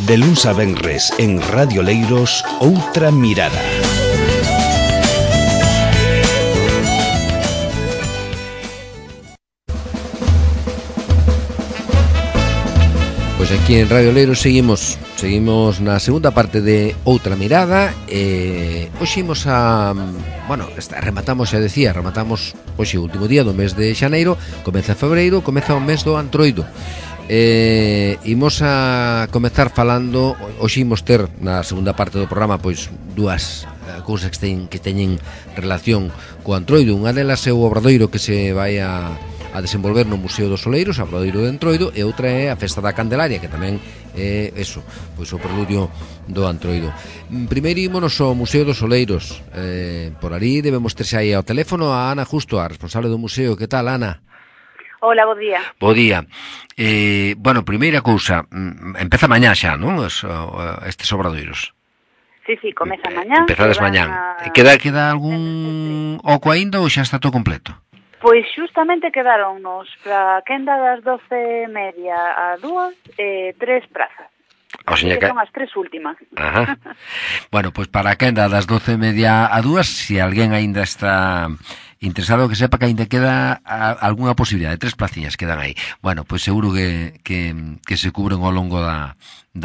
De luns a venres en Radio Leiros, Outra Mirada. Pois aquí en Radio Leiros seguimos na segunda parte de Outra Mirada. Hoxe imos a... Bueno, rematamos hoxe o último día do mes de xaneiro. Comeza febreiro, comeza o mes do Antroido. Imos a comezar falando. Hoxe imos ter na segunda parte do programa pois dúas cousas que teñen relación co Antroido. Unha delas é o obradoiro que se vai a desenvolver no Museo dos Oleiros, a Obradoiro de Entroido, e outra é a Festa da Candelaria, que tamén é eso, pois o preludio do Antroido. Primeiro ímonos ao Museo dos Oleiros. Por ali debemos terse aí ao teléfono a Ana Justo, a responsable do museo. Que tal, Ana? Hola, bo día. Bo día. Bueno, primeira cousa, empeza mañá xa, non? Estes obradoiros. Sí, comeza mañá. Empezades mañá. Queda algún oco aínda ou xa está todo completo? Pois xustamente quedaronnos para a quenda das 12:30 a 2, 3 prazas. O sea, que son as 3 últimas. Ajá. Bueno, pois para a quenda das 12:30 a 2, se alguén aínda está interesado, que sepa que aínda queda algunha posibilidade, 3 placiñas quedan aí. Bueno, pois seguro que se cubren ao longo da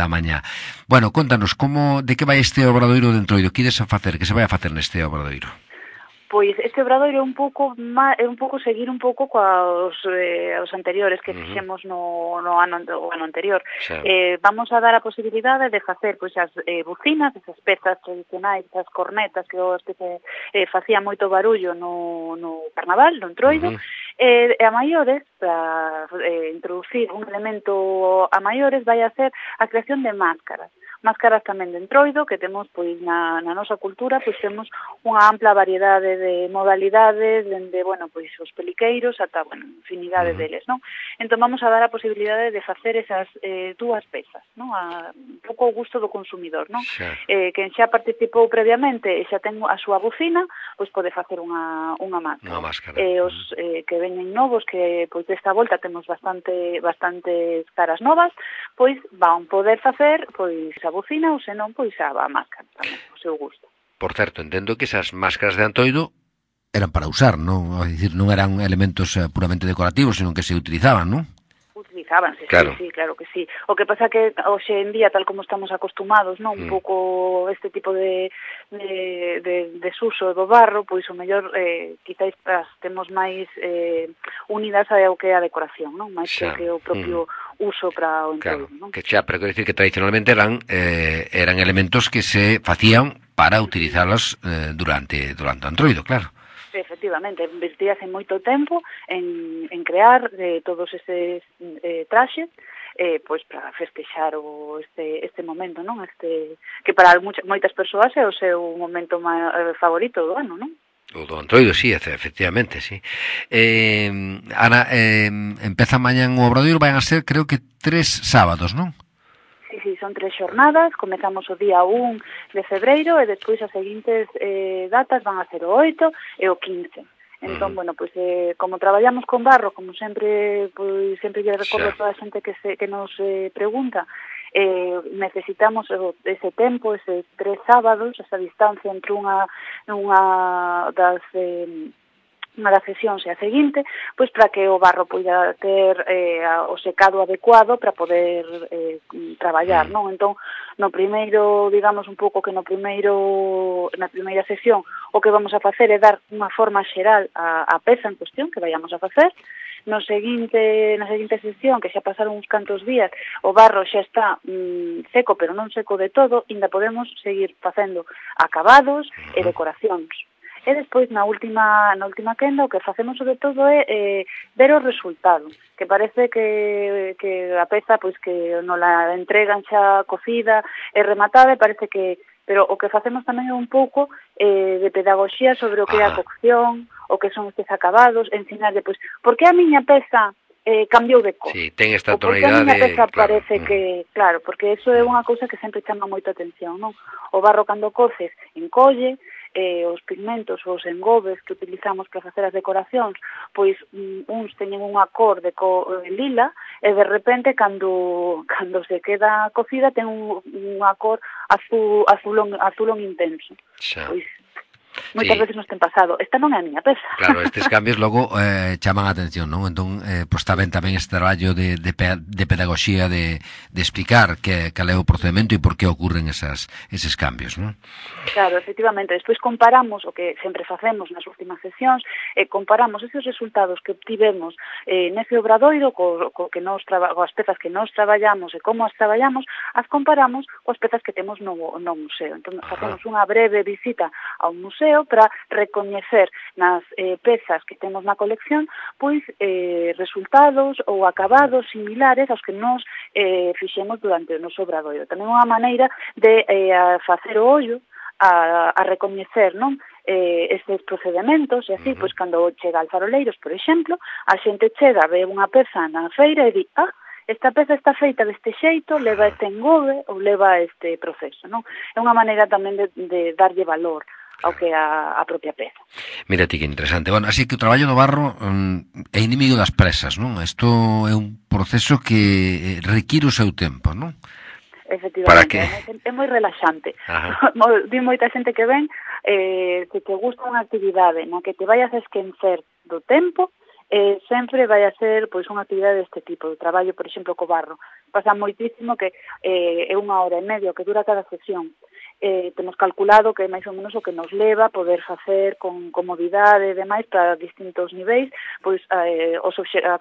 mañá. Bueno, contanos, de que vai este obradoiro de Entroido? Que se vai a facer neste obradoiro? Pois este obradoiro é un pouco seguir un pouco coas os anteriores que fixemos no ano anterior. Sí. Vamos a dar a posibilidade de facer pois as bucinas, esas pezas tradicionais, as cornetas que facían moito barullo no carnaval, no Entroido, e a maiores, para introducir un elemento a maiores, vai a ser a creación de máscaras tamén de Entroido, que temos pois na nosa cultura, pois temos unha ampla variedade de modalidades, dende, pois os peliqueiros ata, infinidade deles, non? Entón vamos a dar a posibilidade de facer esas dúas pezas, non? Un pouco o gusto do consumidor, non? Quen xa participou previamente e xa ten a súa bucina, pois pode facer unha máscara. Unha máscara. Os que veñen novos, que pois desta volta temos bastantes caras novas, pois van poder facer pois a bucina ou senón pois a máscara tamén, o seu gusto. Por certo, entendo que esas máscaras de Antroido eran para usar, non? É dicir, non eran elementos puramente decorativos, senón que se utilizaban, non? Utilizábanse, claro. Sí, claro que sí. O que pasa que hoxe en día, tal como estamos acostumados, non, un pouco este tipo de desuso do barro, pois o mellor quizáis temos máis unidas ao que é a decoración, non? Máis que o propio uso para o Entroido, claro, non? Que xa, pero quero dicir que tradicionalmente eran elementos que se facían para utilizalos durante o Entroido, claro. Efectivamente, investíase moito tempo en crear todos estes traxes, pois para festexar este momento, non? Que para moitas persoas é o seu momento favorito do ano, non? O do Antroido, sí, efectivamente, sí. Ana, empeza mañán o obradoiro, van a ser, creo que 3 sábados, non? Sí, son 3 xornadas, comezamos o día 1 de febreiro e despois as seguintes datas van a ser o 8 e o 15. Entón, pois como traballamos con barro, como sempre, pois sempre lle recordo a toda a xente que nos pregunta, necesitamos ese tempo, eses 3 sábados, esa distancia entre unha das sesións e a seguinte, pois para que o barro poida ter o secado adecuado para poder traballar, non? Entón, no primeiro, digamos un pouco que na primeira sesión, o que vamos a facer é dar unha forma xeral á peza en cuestión que vayamos a facer. Na seguinte sesión, que xa pasaron uns cantos días, o barro xa está seco, pero non seco de todo, ainda podemos seguir facendo acabados e decoracións. E despois, na última quenda, o que facemos sobre todo é ver o resultado, que parece que a peza, pois que non la entregan xa cocida e rematada, e parece que... Pero o que facemos tamén é un pouco de pedagogía sobre o que é a cocción, o que son estes acabados, ensinarlle, pois, por que a miña peza cambiou de cor? Sí, ten esta tonalidade, a miña peza claro. Parece que... Claro, porque eso é unha cousa que sempre chama moita atención, non? O barro cando coces encolle, os pigmentos, os engobes que utilizamos para facer as decoracións, pois uns teñen unha cor de lila e de repente cando se queda cocida ten unha cor azulón intenso. Pois moitas veces nos ten pasado. Esta non é a miña peza. Claro, estes cambios logo chaman a atención, non? Entón, pois está ben tamén este traballo de pedagogía de explicar cal é o procedimento e por que ocurren eses cambios, non? Claro, efectivamente. Despois comparamos o que sempre facemos nas últimas sesións, comparamos esos resultados que obtivemos nese obradoiro coas pezas que nós traballamos e como as traballamos, as comparamos coas pezas que temos no museo. Entón, facemos unha breve visita ao museo para recoñecer nas pezas que temos na colección pois resultados ou acabados similares aos que nós fixemos durante o noso obradoiro. Tamén unha maneira de facer o ollo a recoñecer, non? Estes procedementos, e así, pois, cando chega al Faroleiros, por exemplo, a xente chega, ve unha peza na feira e di, esta peza está feita deste xeito, leva este engobe ou leva este proceso, non? É unha maneira tamén de darlle valor ao que a propia peza. Mira ti que interesante. Bueno, así que o traballo do barro é inimigo das presas, non? Isto é un proceso que require o seu tempo, non? Efectivamente, é moi relaxante. Di moita xente que ven que te gusta unha actividade na que te vayas a esquecer do tempo, sempre vai a ser pois unha actividade deste tipo, de traballo, por exemplo, co barro. Pasa moitísimo que é 1 hora e media que dura cada sesión. Temos calculado que é máis ou menos o que nos leva a poder facer con comodidade e demais para distintos niveis, pois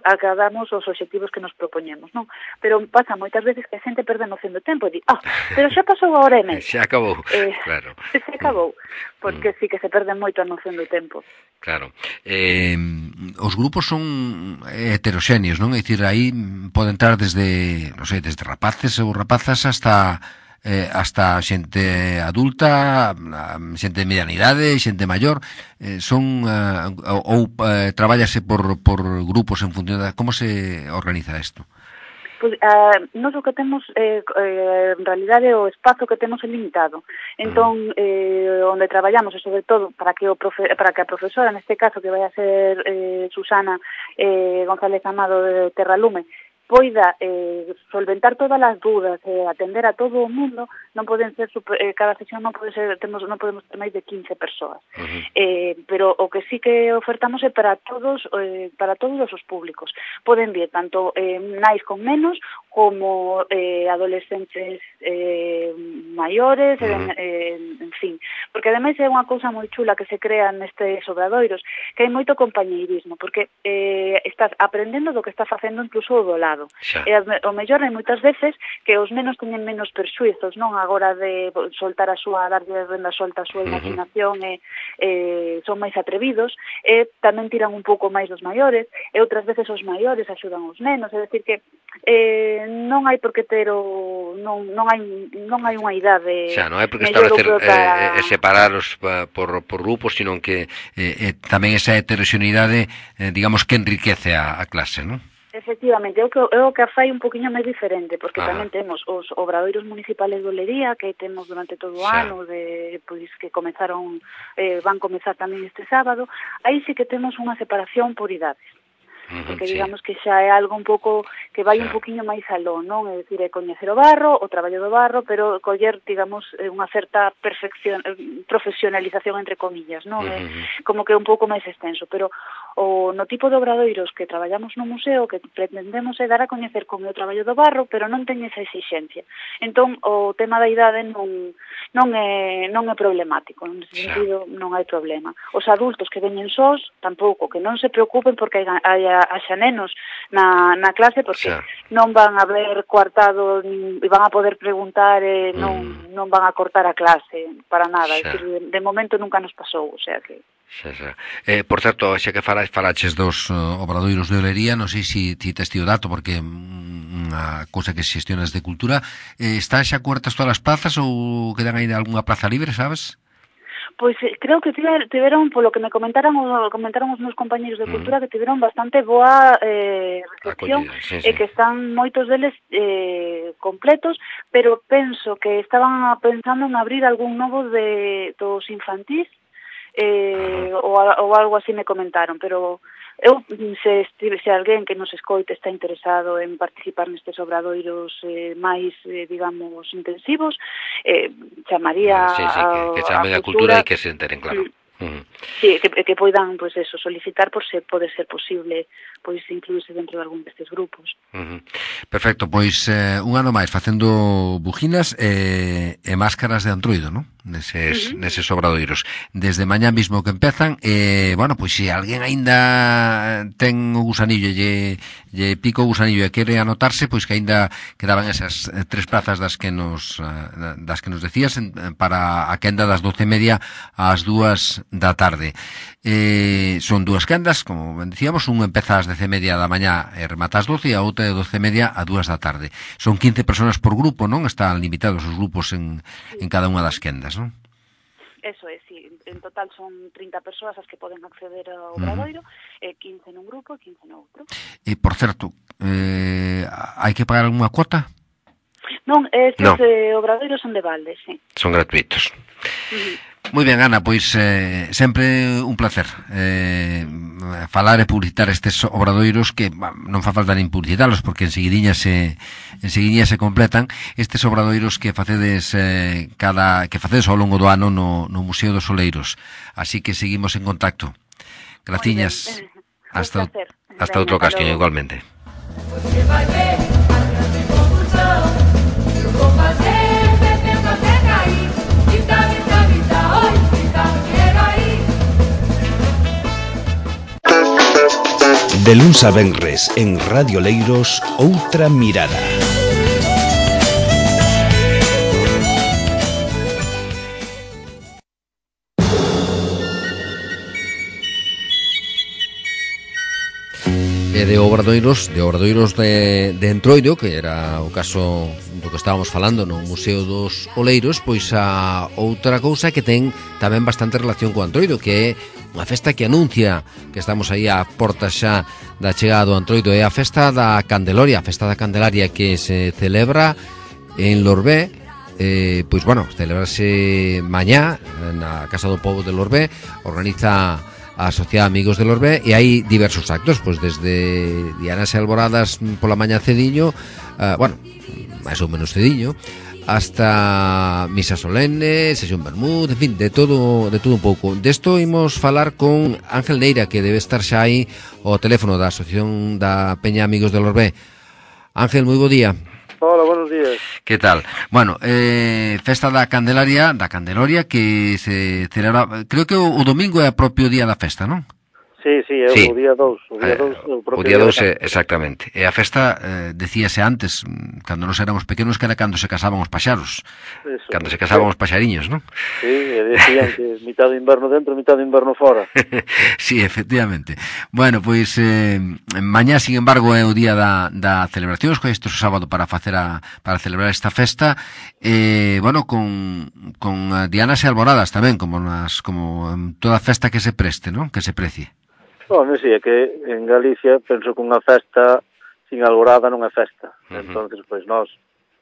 acadamos os obxectivos que nos propoñemos, non? Pero pasa moitas veces que a xente perde noción do tempo e di, pero xa pasou a hora e media. Xa acabou, claro. Xa acabou, porque sí que se perde moito a noción do tempo. Claro. Os grupos son heteroxéneos, non? É dicir, aí pode entrar desde, non sei, desde rapaces ou rapazas hasta xente adulta, xente de mediana idade, xente maior, son ou trabállase por grupos en función de como se organiza isto? Pois, nós o que temos en realidade o espazo que temos é limitado. Entón, onde traballamos, e sobre todo para que a profesora, neste caso que vai a ser Susana González Amado de Terralume, poida solventar todas as dúdas e atender a todo o mundo, non poden ser cada sesión non podemos ter máis de 15 persoas. Pero o que sí que ofertamos é para todos os públicos. Poden vir tanto nais con menos como adolescentes maiores, en fin, porque ademais é unha cousa moi chula que se crea nestes obradoiros, que hai moito compañeirismo, porque estás aprendendo do que está facendo incluso o do lado. E o mellor hai moitas veces que os nenos teñen menos persuizos, non, agora de soltar darlle renda solta a súa imaginación e son máis atrevidos, e tamén tiran un pouco máis dos maiores, e outras veces os maiores axudan os nenos, é dicir que non hai por que ter non hai unha idade. Xa, non hai por que establecer separaros por grupos, sino que tamén esa heteroxeneidade, digamos, que enriquece a clase, non? Efectivamente, é o que a fai un poquinho máis diferente, porque tamén temos os obradoiros municipales de Olería, que temos durante todo o ano, pois que comezaron, van comezar tamén este sábado. Aí sí que temos unha separación por idades, porque digamos que xa é algo un pouco que vai un poquinho máis aló, non? É dicir, é coñecer o barro, o traballo do barro, pero coller, digamos, unha certa profesionalización entre comillas, non? Como que un pouco máis extenso, pero no tipo de obradoiros que traballamos no museo, que pretendemos é dar a coñecer como é o traballo do barro, pero non ten esa exixencia. Entón, o tema da idade non é problemático, en ese sentido non hai problema. Os adultos que veñen sós, tampouco, que non se preocupen porque haxa nenos na clase, porque non van a ver coartado e van a poder preguntar e non van a cortar a clase para nada. De momento nunca nos pasou, o sea que... Por certo, xa que falaches dos obradoiros de Olería, non sei se ti tes o dato, porque unha cousa que xestionas de cultura, están xa cuartas todas as plazas ou quedan aí algunha plaza libre, sabes? Pois creo que tiveron, polo que me comentaron os meus compañeros de cultura, que tiveron bastante boa recepción, e que están moitos deles completos, pero penso que estaban pensando en abrir algún novo dos infantís, ou algo así me comentaron, pero eu, se alguén que nos escoite está interesado en participar nestes obradoiros máis, digamos, intensivos, chamaría sí, que chamen a cultura e que se enteren, claro. Sí, que poidan, pois eso, solicitar por se pode ser posible pois incluirse dentro de algún destes grupos. Perfecto, pois un ano máis facendo bujinas e máscaras de antroido, non? Neses obradoiros. Desde mañá mismo que empezan, bueno, pois se alguén aínda ten o gusanillo lle pico o gusanillo e quere anotarse, pois que aínda quedaban esas 3 plazas das que nos decías para a quenda das 12:30 ás 2 da tarde. Son 2 quendas, como ben dicíamos, un empeza ás 10:30 da mañá e remata ás 12 e a outra de 12:30 a 2 da tarde. Son 15 personas por grupo, non? Están limitados os grupos en cada unha das quendas, non? Eso é, sí. En total son 30 persoas as que poden acceder ao obradoiro, 15 nun grupo e 15 no outro. E, por certo, hai que pagar algunha cuota? Non, estes obradoiros son de balde, sí. Son gratuitos. Moi ben, Ana, pois sempre un placer falar e publicitar estes obradoiros que non fa falta nin publicitalos porque enseguidiña se completan estes obradoiros que facedes ao longo do ano no Museo dos Oleiros. Así que seguimos en contacto. Graciñas. Hasta outra ocasión, igualmente. De luns a venres en Radio Leiros, Outra Mirada. De obradoiros de Entroido, que era o caso do que estábamos falando no Museo dos Oleiros, pois a outra cousa que ten tamén bastante relación co Entroido, que é unha festa que anuncia que estamos aí a portas xa da chegada do Entroido, é a festa da Candelaria, que se celebra en Lorbé. Pois bueno, celebrarse mañá na Casa do Pobo de Lorbé, organiza a Sociedade Amigos de Lorbé e hai diversos actos, pois desde dianas e alboradas pola mañá cediño, bueno, máis ou menos cediño, hasta misa solene, sesión vermut, en fin, de todo un pouco. Desto imos falar con Ángel Neira, que debe estar xa aí ao teléfono da Asociación da Peña Amigos de Lorbé. Ángel, moi bo día. Hola, buenos días. Que tal? Bueno, festa da Candelaria que se celebra, creo que o domingo é o propio día da festa, non? Sí, o día 2. O día 2, exactamente. E a festa, decíase antes, cando nos éramos pequenos, que era cando se casaban os paxaros. Eso. Cando se casaban os paxariños, non? Sí, e decían que mitad do inverno dentro, mitad do inverno fora. Sí, efectivamente. Bueno, pois, mañá, sin embargo, é o día da celebración, escollesto o sábado para celebrar esta festa, bueno, con dianas e alboradas tamén, como en toda festa que se preste, non? Que se precie. Bueno, sí, é que en Galicia penso que unha festa sin alborada non é festa. Entonces, pois nós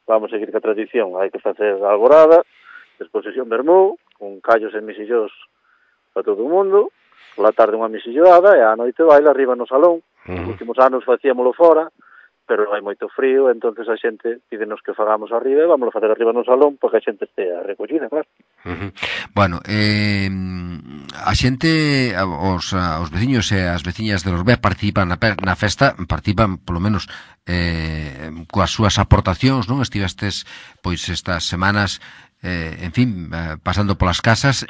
vamos seguir ca tradición. Hai que facer a alborada, despois sesión vermú, con callos e misillos para todo o mundo, pola tarde unha misilloada e a noite baila arriba no salón. Os últimos anos facíamolo fora, pero hai moito frío, entonces a xente pídenos que fagamos arriba e vámoslo facer arriba no salón porque a xente estea recollida, claro. Bueno, a xente, os veciños e as veciñas de Lorbé participan na festa, participan polo menos coas súas aportacións, non? Estivestes pois estas semanas en fin, pasando polas casas,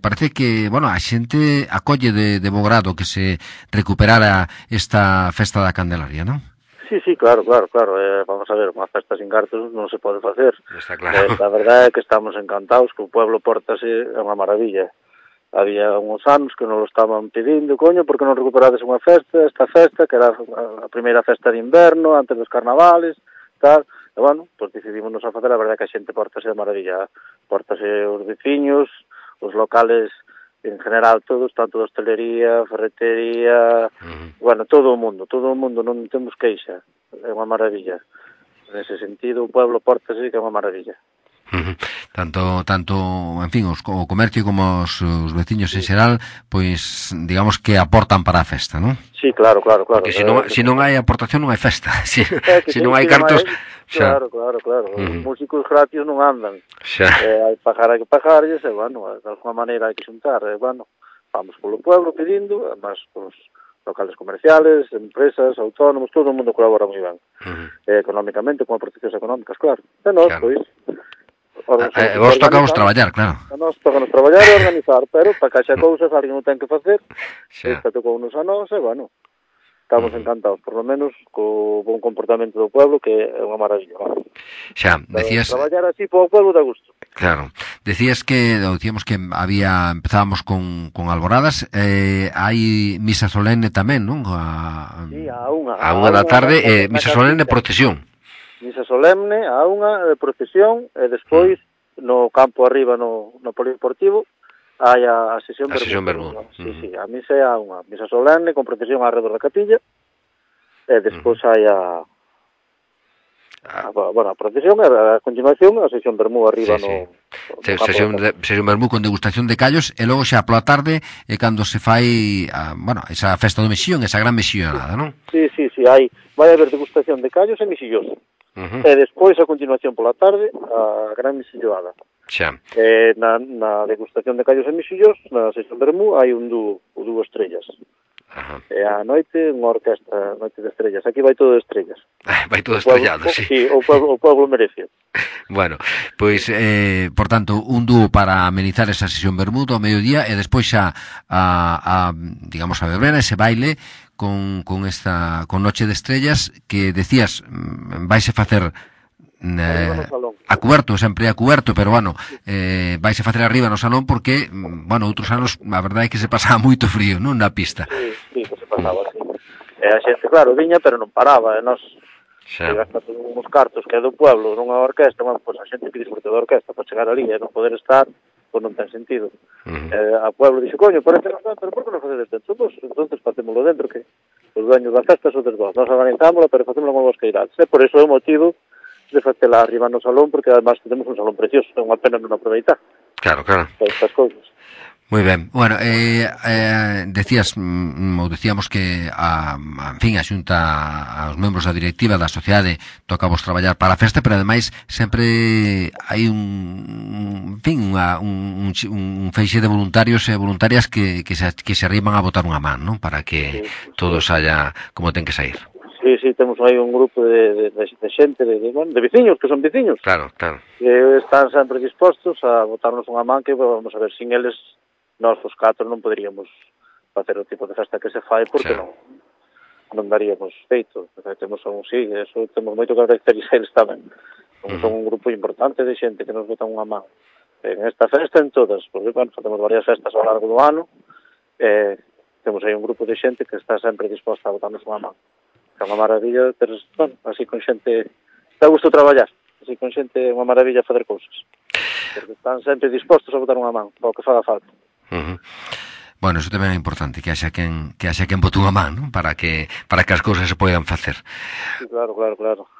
parece que, bueno, a xente acolle de bo grado que se recuperara esta festa da Candelaria, non? Sí, claro. Vamos a ver, unha festa sin cartos non se pode facer. Está claro. A verdade é que estamos encantados, que o pueblo pórtase é unha maravilla. Había uns anos que nos lo estaban pedindo, coño, porque non recuperades esta festa, que era a primeira festa de inverno, antes dos carnavales, tal. E, bueno, pois decidímonos a facer, a verdade é que a xente pórtase de maravilla. Pórtase os veciños, os locales en general todos, tanto de hostelería, ferretería, bueno, todo o mundo, non temos queixa, é unha maravilla. Nese sentido, o pueblo pórtase que é unha maravilla. Tanto, en fin, o comercio como os veciños en xeral, pois, digamos que aportan para a festa, non? Sí, claro. Porque se non hai aportación non hai festa. Se non hai cartos... Claro. Os músicos gratis non andan. Hai que pagarlles, e, bueno, de alguma maneira hai que xuntar. Bueno, vamos polo pueblo pedindo, además, os locales comerciales, empresas, autónomos, todo o mundo colabora moi ben. Económicamente, con aportacións económicas, claro. E nós, pois... vos tocamos traballar, claro. A nós tocamos traballar e organizar, pero para que haxa cousas, alguén non ten que facer. Esta tocou unos a nós, e, bueno, estamos encantados, por lo menos, co bon comportamento do pueblo, que é unha maravilla. Xa, decías... Traballar así po pueblo dá gusto. Claro. Decíamos que empezábamos con alboradas, hai misa solene tamén, non? Sí, a unha da tarde, misa solene e procesión. Misa solemne, a unha de procesión, e despois, no campo arriba, no polideportivo, hai a sesión vermú. Sí, a misa é a unha misa solemne con procesión alrededor da capilla, e despois hai a procesión, e a continuación a sesión vermú arriba no sesión vermú con degustación de callos, e logo xa pola tarde é cando se fai esa festa do mexillón, esa gran mexillonada, non? Sí, vai haber degustación de callos e mexillós. E despois, a continuación pola tarde, a gran mexilloada. Xa. Na degustación de callos e mexillos, na sesión vermú, hai un dúo, o dúo Estrellas. E a noite, unha orquesta, Noite de Estrellas. Aquí vai todo de estrellas. Vai todo estrellado, sí. Sí, o pueblo merece. Bueno, pois, por tanto, un dúo para amenizar esa sesión vermú ao mediodía, e despois xa digamos, a verbena, ese baile con Noche de Estrellas, que decías, vaise facer a cuberto, sempre a cuberto, pero, bueno, vaise facer arriba no salón porque, bueno, outros anos, a verdade é que se pasaba moito frío, non, na pista. Sí, que se pasaba, sí. E a xente, claro, viña, pero non paraba, e nos gastas uns cartos que é do pueblo, nunha orquesta, bueno, pois a xente que disfrute da orquesta para chegar ali e non poder estar, pois non ten sentido. A pueblo dixo, coño, parece que non, pero por que non facedes dentro? Entonces facémoslo dentro, que os dueños da festa son dos. Nos organizámoslo, pero facémoslo con vos que irás. E por iso é o motivo de facela arriba no salón, porque además temos un salón precioso, é unha pena non aproveitar. Claro. Estas cousas. Moi ben. Bueno, decíamos que en fin, a Xunta, aos membros da directiva da sociedade tocamos traballar para a festa, pero ademais sempre hai un feixe de voluntarios e voluntarias que se arriman a botar unha man, non? Para que todo saia como ten que sair. Sí, temos aí un grupo de xente, de veciños, que son veciños. Claro. Que están sempre dispostos a botarnos unha man, que vamos a ver, sin eles, nós os 4 non poderíamos facer o tipo de festa que se fai, porque non daríamos feito. Temos moito que agradecer eles tamén. Son un grupo importante de xente que nos botan unha man. En esta festa, en todas, porque, bueno, facemos varias festas ao largo do ano, temos aí un grupo de xente que está sempre disposta a botarnos unha man. É unha maravilla, pero, bueno, así con xente, dá gusto traballar, así con xente é unha maravilla facer cousas, porque están sempre dispostos a botar unha man, para o que faga falta. Bueno, eso tamén é importante, que haxa quen bote unha man, non? Para que as cousas se poidan facer. Sí, claro.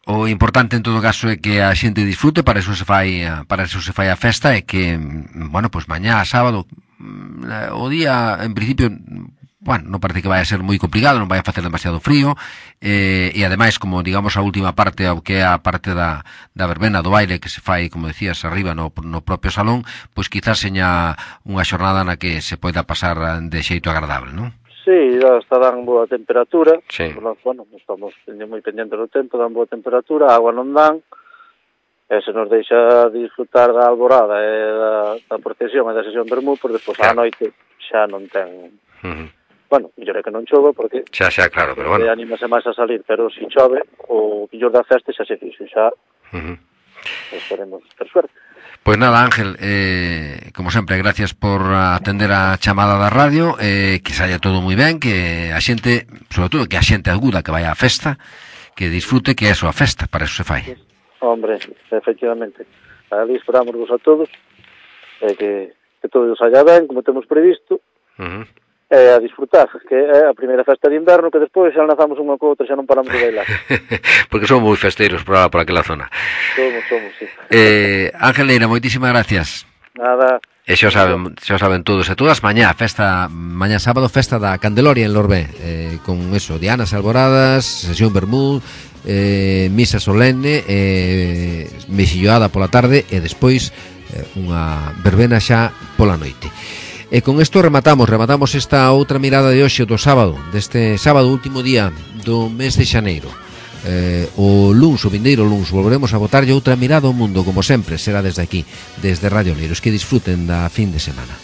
O importante en todo caso é que a xente disfrute, para eso se fai a festa, e que, bueno, pois mañá, sábado, o día, en principio, bueno, non parece que vai a ser moi complicado, non vai a facer demasiado frío, e ademais, como digamos a última parte, o que é a parte da verbena, do baile, que se fai, como decías, arriba no propio salón, pois quizás seña unha xornada na que se poida pasar de xeito agradable, non? Sí, está dan boa temperatura, bueno, estamos moi pendentes do tempo, dan boa temperatura, a agua non dan, e se nos deixa disfrutar da alborada e da procesión e da sesión vermú, por despois a noite xa non ten... Bueno, mellor é que non chova, porque... Xa, claro, pero bueno... Anímase máis a salir, pero se chove, o millor da festa xa se fixo, xa... Esperemos ter suerte. Pois nada, Ángel, como sempre, gracias por atender a chamada da radio, que saia todo moi ben, que a xente, sobre todo que a xente aguda que vai á festa, que disfrute, que é a súa festa, para eso se fai. Hombre, efectivamente. Ali esperámosvos a todos, que todo saia ben, como temos previsto, a disfrutar, que é a primeira festa de inverno, que despois xa lanzamos unha co outra, xa non paramos de bailar. Porque son moi festeiros por aquela zona. Somos, sí. Ángel Leira, moitísimas gracias. Nada. E xa saben todos e todas, mañá sábado, festa da Candeloria en Lorbé, con eso, dianas alboradas, sesión vermú, misa solene, mexilloada pola tarde e despois unha verbena xa pola noite. E con isto rematamos esta outra mirada de hoxe do sábado, deste sábado, último día do mes de xaneiro. O vindeiro luns volveremos a botarlle outra mirada ao mundo, como sempre, será desde aquí, desde Radio Leiros. Que disfruten da fin de semana.